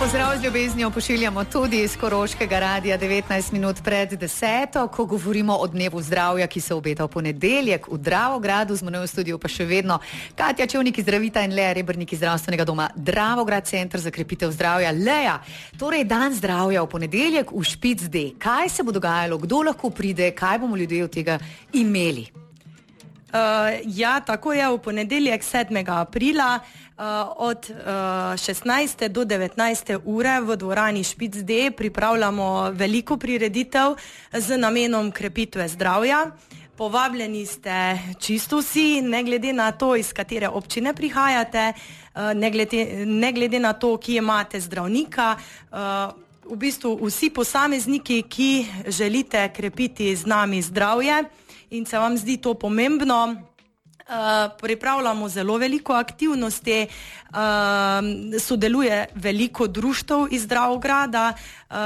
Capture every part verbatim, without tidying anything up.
Pozdrav z ljubeznijo pošiljamo tudi iz Koroškega radia devetnajst minut pred deseto, ko govorimo o dnevu zdravja, ki se obeta v ponedeljek v Dravogradu. Z menoj v studiu pa še vedno Katja Čevnik iz Zdravita in Lea Rebrnik iz zdravstvenega doma Dravograd, Center za krepitev zdravja. Lea, torej dan zdravja v ponedeljek v Špic D. Kaj se bo dogajalo, kdo lahko pride, kaj bomo ljudje od tega imeli? Uh, ja, tako je v ponedeljek sedmega aprila uh, od uh, šestnajste do devetnajste ure v dvorani Špic D pripravljamo veliko prireditev z namenom krepitve zdravja. Povabljeni ste čisto vsi, ne glede na to, iz katere občine prihajate, uh, ne, glede, ne glede na to, kje imate zdravnika. Uh, v bistvu vsi posamezniki, ki želite krepiti z nami zdravje in se vam zdi to pomembno, uh, pripravljamo zelo veliko aktivnosti, uh, sodeluje veliko društev iz Dravograda, uh,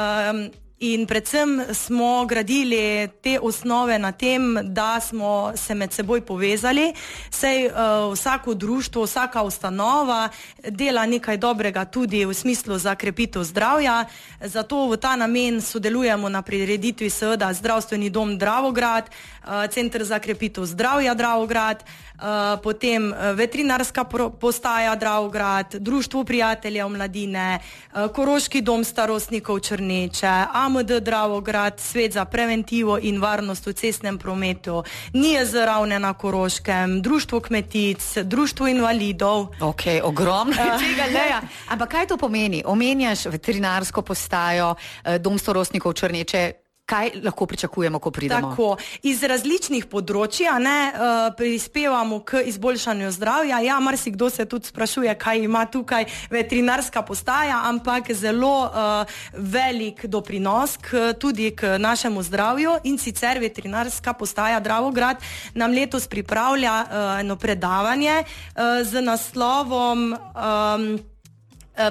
in predvsem smo gradili te osnove na tem, da smo se med seboj povezali, saj uh, vsako društvo, vsaka ustanova dela nekaj dobrega tudi v smislu za krepitev zdravja, zato v ta namen sodelujemo na prireditvi seveda Zdravstveni dom Dravograd, uh, Center za krepitev zdravja Dravograd, uh, potem veterinarska postaja Dravograd, Društvo prijateljev mladine, uh, Koroški dom starostnikov Črneče, A M D Dravograd, Svet za preventivo in varnost v cestnem prometu, N I J Z Ravne na Koroškem, Društvo kmetic, Društvo invalidov. Ok, ogromno je tega, Lea. Ampak kaj to pomeni? Omenjaš veterinarsko postajo, Dom starostnikov Črneče. Kaj lahko pričakujemo, ko pridemo? Tako, iz različnih področji, ne, uh, prispevamo k izboljšanju zdravja. Ja, marsikdo se tudi sprašuje, kaj ima tukaj veterinarska postaja, ampak zelo uh, velik doprinos k, tudi k našemu zdravju, in sicer veterinarska postaja Dravograd nam letos pripravlja uh, eno predavanje uh, z naslovom um,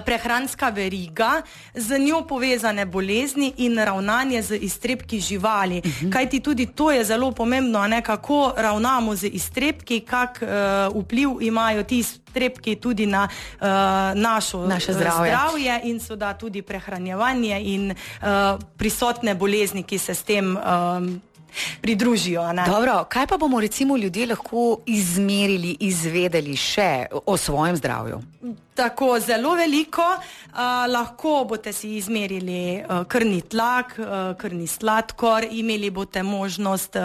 Prehranska veriga, z njo povezane bolezni in ravnanje z iztrebki živali. Uh-huh. Kajti tudi to je zelo pomembno, ne, kako ravnamo z iztrebki, kak uh, vpliv imajo ti iztrebki tudi na uh, našo Naše zdravje. zdravje in seveda tudi prehranjevanje in uh, prisotne bolezni, ki se s tem um, pridružijo. Ne? Dobro, kaj pa bomo recimo ljudje lahko izmerili, izvedeli še o svojem zdravju? Tako, zelo veliko. Uh, lahko boste si izmerili uh, krvni tlak, uh, krvni sladkor, imeli boste možnost uh,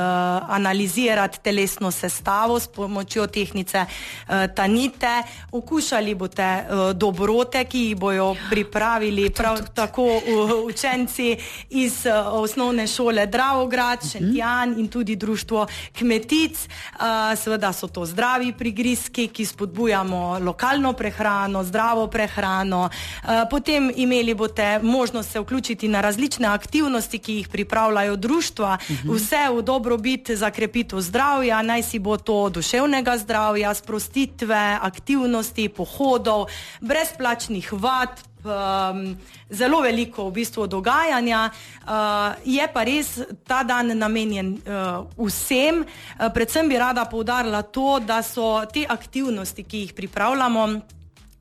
analizirati telesno sestavo s pomočjo tehnice uh, Tanite, okušali boste uh, dobrote, ki jih bojo pripravili prav tako uh, učenci iz uh, osnovne šole Dravograd, Šentjan in tudi Društvo kmetic. Uh, seveda so to zdravi prigrizki, ki spodbujamo lokalno prehrano, zdravo prehrano. Potem imeli boste možnost se vključiti na različne aktivnosti, ki jih pripravljajo društva, vse v dobrobit za krepitev zdravja, naj si bo to duševnega zdravja, sprostitve, aktivnosti, pohodov, brezplačnih vad, Um, zelo veliko v bistvu dogajanja. Uh, je pa res ta dan namenjen uh, vsem. Uh, predvsem bi rada poudarila to, da so te aktivnosti, ki jih pripravljamo,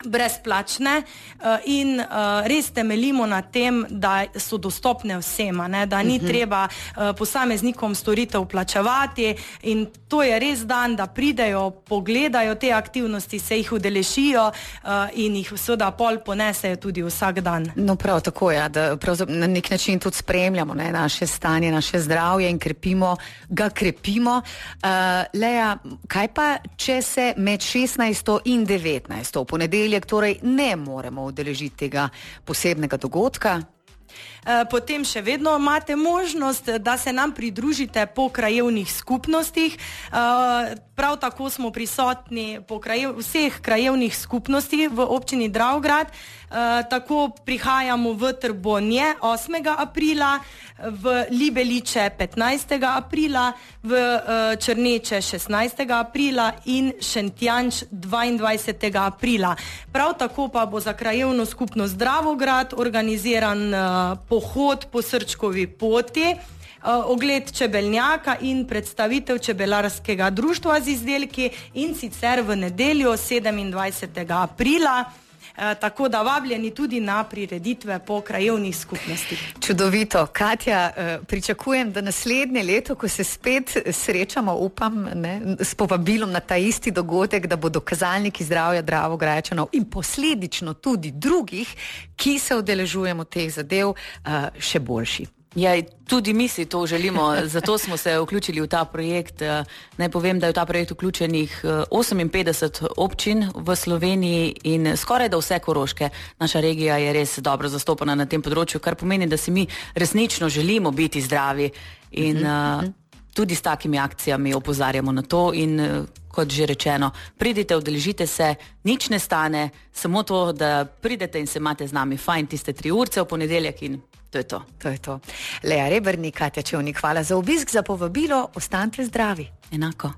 brezplačne uh, in uh, res temeljimo na tem, da so dostopne vsema, ne? Da ni uh-huh. treba uh, posameznikom storitev plačevati, in to je res dan, da pridejo, pogledajo te aktivnosti, se jih udeležijo uh, in jih seveda pol ponesejo tudi vsak dan. No prav tako je, ja, da na nek način tudi spremljamo, ne, naše stanje, naše zdravje in krepimo, ga krepimo. Uh, Lea, kaj pa, če se med šestnajsto in devetnajsto v ponedeljek torej ne moremo udeležiti tega posebnega dogodka? Potem še vedno imate možnost, da se nam pridružite po krajevnih skupnostih. Prav tako smo prisotni po krajev, vseh krajevnih skupnostih v občini Dravograd. Tako prihajamo v Trbonje osmega aprila, v Libeliče petnajstega aprila, v Črneče šestnajstega aprila in Šentjanč dvaindvajsetega aprila. Prav tako pa bo za krajevno skupnost Dravograd organiziran pohod po Srčkovi poti, ogled čebelnjaka in predstavitev čebelarskega društva z izdelki, in sicer v nedeljo sedemindvajsetega aprila. tako da vabljeni tudi na prireditve po krajevnih skupnostih. Čudovito. Katja, pričakujem, da naslednje leto, ko se spet srečamo, upam, ne, s povabilom na ta isti dogodek, da bodo kazalniki zdravja Dravograjčanov in posledično tudi drugih, ki se udeležujemo teh zadev, še boljši. Ja, tudi mi si to želimo, zato smo se vključili v ta projekt. Naj povem, da je v ta projekt vključenih oseminpetdeset občin v Sloveniji in skoraj da vse Koroške. Naša regija je res dobro zastopana na tem področju, kar pomeni, da si mi resnično želimo biti zdravi in uh-huh. uh, tudi s takimi akcijami opozarjamo na to in uh, kot že rečeno, pridite, udeležite se, nič ne stane, samo to, da pridete in se imate z nami fajn tiste tri urce v ponedeljek in to je to. To je to. Lea Rebernik, Katja Čevnik, hvala za obisk, za povabilo, ostanite zdravi. Enako.